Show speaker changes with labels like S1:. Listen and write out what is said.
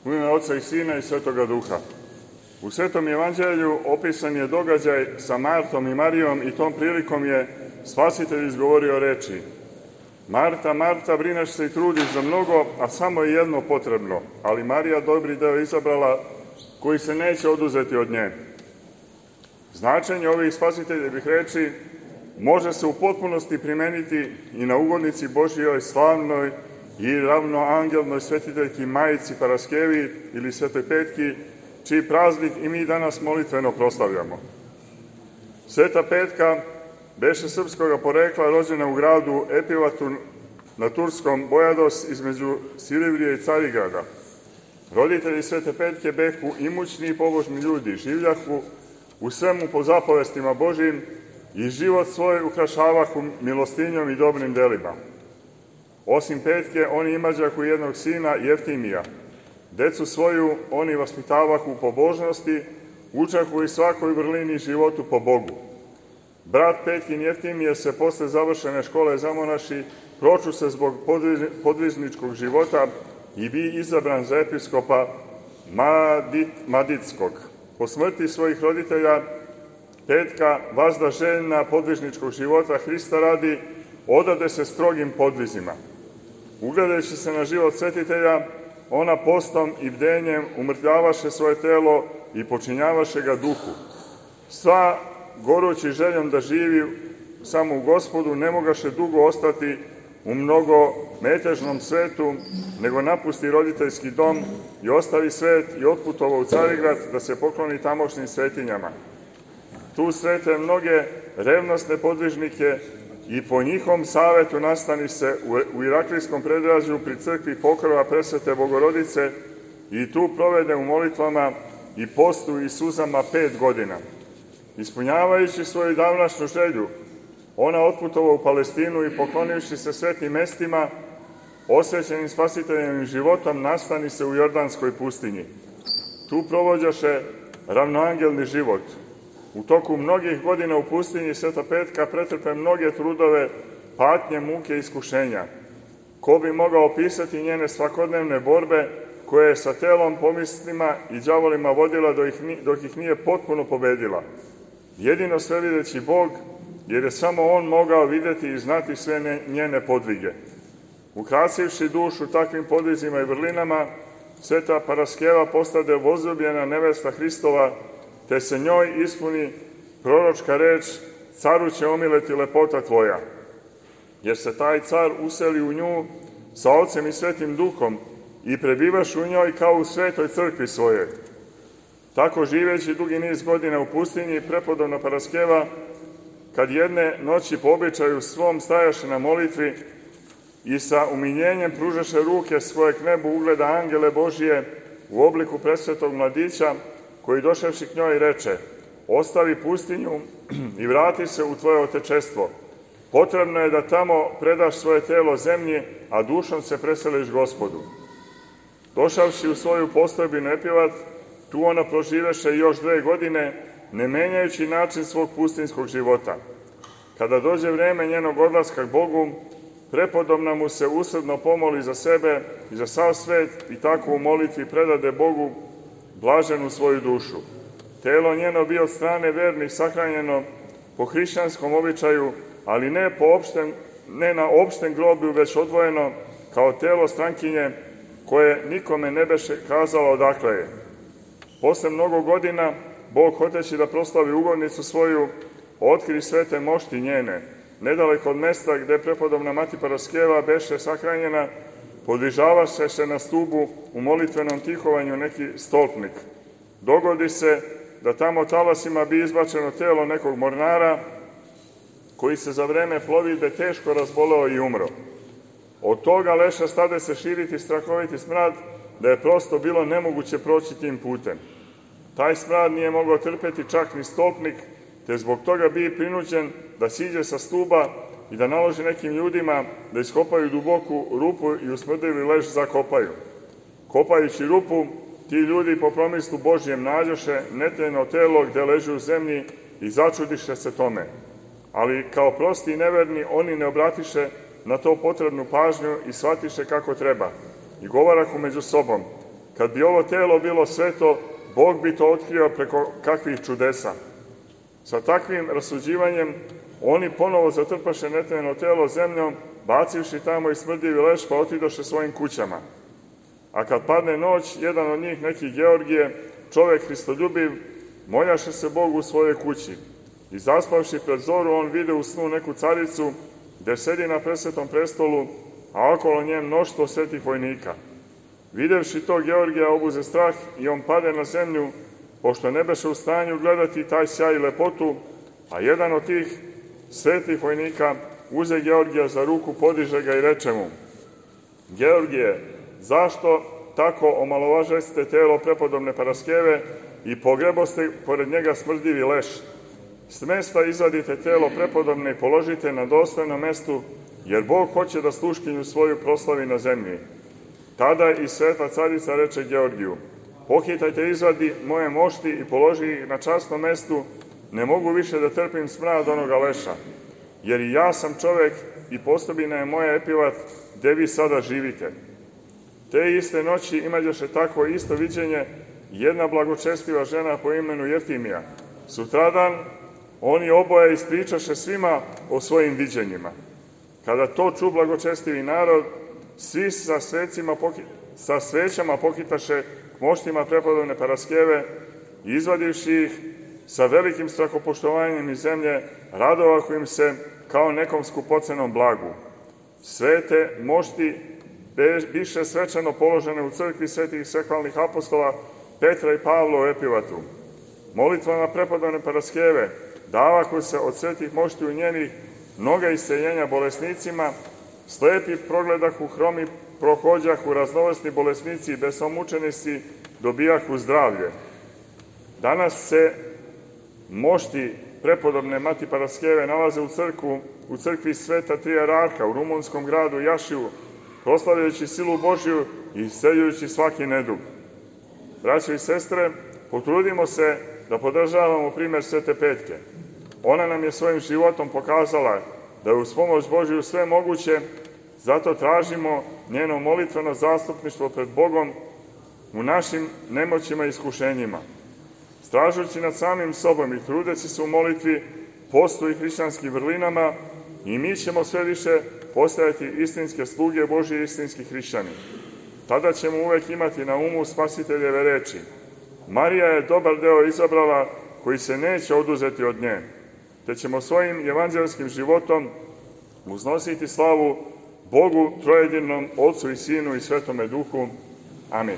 S1: U ime Oca i Sina i Svetoga Duha. U Svetom evanđelju opisan je događaj sa Martom i Marijom i tom prilikom je Spasitelj izgovorio reči: Marta, Marta, brineš se i trudiš za mnogo, a samo je jedno potrebno, ali Marija dobri deo izabrala koji se neće oduzeti od nje. Značenje ovih Spasiteljevih reči može se u potpunosti primeniti i na ugodnici Božjoj slavnoj i ravnoangelnoj svetiteljki Majici Paraskevi ili Svetoj Petki, čiji praznik i mi danas molitveno proslavljamo. Sveta Petka beše srpskoga porekla, rođena u gradu Epilatu na turskom Bojados između Silivrije i Carigrada. Roditelji Svete Petke behu imućni i pobožni ljudi, življahu u svemu po zapovestima Božjim i život svoj ukrašavahu milostinjom i dobrim delima. Osim Petke, oni imađahu jednog sina, Jeftimija. Decu svoju oni vaspitavahu u pobožnosti, učahu i svakoj vrlini životu po Bogu. Brat Petkin Jeftimije se posle završene škole zamonaši, proču se zbog podvižničkog života i bi izabran za episkopa Maditskog. Po smrti svojih roditelja, Petka, vazda željna podvižničkog života Hrista radi, odade se strogim podvizima. Ugledajući se na život svetitelja, ona postom i bdenjem umrtljavaše svoje telo i počinjavaše ga duhu. Sva gorući željom da živi samo u Gospodu, ne mogaše dugo ostati u mnogo metežnom svetu, nego napusti roditeljski dom i ostavi svet i otputovao u Carigrad da se pokloni tamošnjim svetinjama. Tu srete mnoge revnosne podvižnike i po njihovom savetu nastani se u Iraklijskom predgrađu pri crkvi Pokrova Presvete Bogorodice i tu provede u molitvama i postu i suzama 5 godina. Ispunjavajući svoju davnašnju želju, ona otputova u Palestinu i poklonivši se svetim mestima, osvećenim Spasiteljevim životom, nastani se u Jordanskoj pustinji. Tu provođaše ravnoangelni život. U toku mnogih godina u pustinji Sveta Petka pretrpe mnoge trudove, patnje, muke i iskušenja. Ko bi mogao opisati njene svakodnevne borbe koje je sa telom, pomislima i đavolima vodila dok ih nije potpuno pobedila. Jedino svevideći Bog, jer je samo On mogao videti i znati sve njene podvige. Ukrasivši dušu takvim podvizima i vrlinama, Sveta Paraskeva postade возljubljena nevesta Hristova, te se njoj ispuni proročka reč: caru će omileti lepota tvoja. Jer se taj car useli u nju sa Ocem i Svetim Duhom i prebivaš u njoj kao u svetoj crkvi svojoj. Tako živeći dugi niz godina u pustinji, prepodobna Paraskeva, kad jedne noći po običaju svom stajaše na molitvi i sa umiljenjem pružaše ruke svoje k nebu, ugleda angele Božije u obliku presvetog mladića, koji došavši k njoj reče: ostavi pustinju i vrati se u tvoje otečestvo. Potrebno je da tamo predaš svoje telo zemlji, a dušom se preseliš Gospodu. Došavši u svoju postojbinu Epilat, tu ona proživeše još 2 godine, ne menjajući način svog pustinskog života. Kada dođe vreme njenog odlaska k Bogu, prepodobna mu se usrdno pomoli za sebe i za sav svet i tako u molitvi predade Bogu blaženu svoju dušu. Telo njeno bi od strane vernih sahranjeno po hrišćanskom običaju, ali ne na opštem groblju, već odvojeno kao telo strankinje koje nikome ne beše kazala odakle je. Posle mnogo godina, Bog, hoteći da proslavi ugodnicu svoju, otkri svete mošti njene, nedaleko od mesta gde prepodobna Mati Paraskeva beše sahranjena, podvižavaše se na stubu u molitvenom tihovanju neki stolpnik. Dogodi se da tamo talasima bi izbačeno telo nekog mornara, koji se za vreme plovidbe teško razboleo i umro. Od toga leša stade se širiti strahoviti smrad, da je prosto bilo nemoguće proći tim putem. Taj smrad nije mogao trpeti čak ni stolpnik, te zbog toga bi prinuđen da siđe sa stuba i da naloži nekim ljudima da iskopaju duboku rupu i u smrdljivi leš zakopaju. Kopajući rupu, ti ljudi po promislu Božjem nađoše netljeno telo gde leži u zemlji i začudiše se tome. Ali kao prosti i neverni oni ne obratiše na to potrebnu pažnju i shvatiše kako treba. I govarahu među sobom: kad bi ovo telo bilo sveto, Bog bi to otkrio preko kakvih čudesa. Sa takvim rasuđivanjem oni ponovo zatrpaše netveno telo zemljom, bacivši tamo i smrdljivi leš, pa otidoše svojim kućama. A kad padne noć, jedan od njih, neki Georgije, čovek hristoljubiv, moljaše se Bogu u svojoj kući. I zaspavši pred zoru, on vide u snu neku caricu, gde sedi na presvetom prestolu, a okolo nje mnoštvo svetih vojnika. Videvši to, Georgija obuze strah i on pade na zemlju, pošto ne beše u stanju gledati taj sjaj i lepotu, a jedan od tih svetih vojnika uze Georgija za ruku, podiže ga i reče mu: Georgije, zašto tako omalovažeste telo prepodobne Paraskeve i pogreboste pored njega smrdljivi leš? S mesta izvadite telo prepodobne i položite na dostojnom mestu, jer Bog hoće da sluškinju svoju proslavi na zemlji. Tada i sveta carica reče Georgiju: Pohitajte, izvadi moje mošti i položi ih na časnom mestu, ne mogu više da trpim smrad onoga leša, jer i ja sam čovek i postobina je moja Epivat, gde vi sada živite. Te iste noći imađoše takvo isto viđenje jedna blagočestiva žena po imenu Jeftimija. Sutradan oni oboje ispričaše svima o svojim viđenjima. Kada to ču blagočestivi narod, svi sa svećama pokitaše k moštima prepodobne Paraskeve i izvadivši ih sa velikim strahopoštovanjem iz zemlje, radovahu im se kao nekom skupocenom blagu. Svete mošti biše svečano položene u crkvi svetih sekvalnih apostola Petra i Pavla u Epivatu. Molitvama prepodobne Paraskeve davahu se od svetih mošti u njenih mnoga isceljenja bolesnicima, slepi progledahu, hromi prohođahu, raznovrsni bolesnici i besomučenici dobijahu zdravlje. Danas se mošti prepodobne Mati Paraskeve nalaze u crkvi Sveta Trijararha u rumunskom gradu Jašivu, proslavljajući silu Božiju i isceljujući svaki nedug. Braćo i sestre, potrudimo se da podržavamo primer Svete Petke. Ona nam je svojim životom pokazala da je uz pomoć Božiju sve moguće, zato tražimo njeno molitveno zastupništvo pred Bogom u našim nemoćima i iskušenjima. Stražujući nad samim sobom i trudeći se u molitvi, postu i hrišćanskim vrlinama, i mi ćemo sve više postajati istinske sluge Božije i istinski hrišćani. Tada ćemo uvek imati na umu Spasiteljeve reči: Marija je dobar deo izabrala koji se neće oduzeti od nje, te ćemo svojim evanđelskim životom uznositi slavu Bogu trojedinom, Otcu i Sinu i Svetome Duhu. Amin.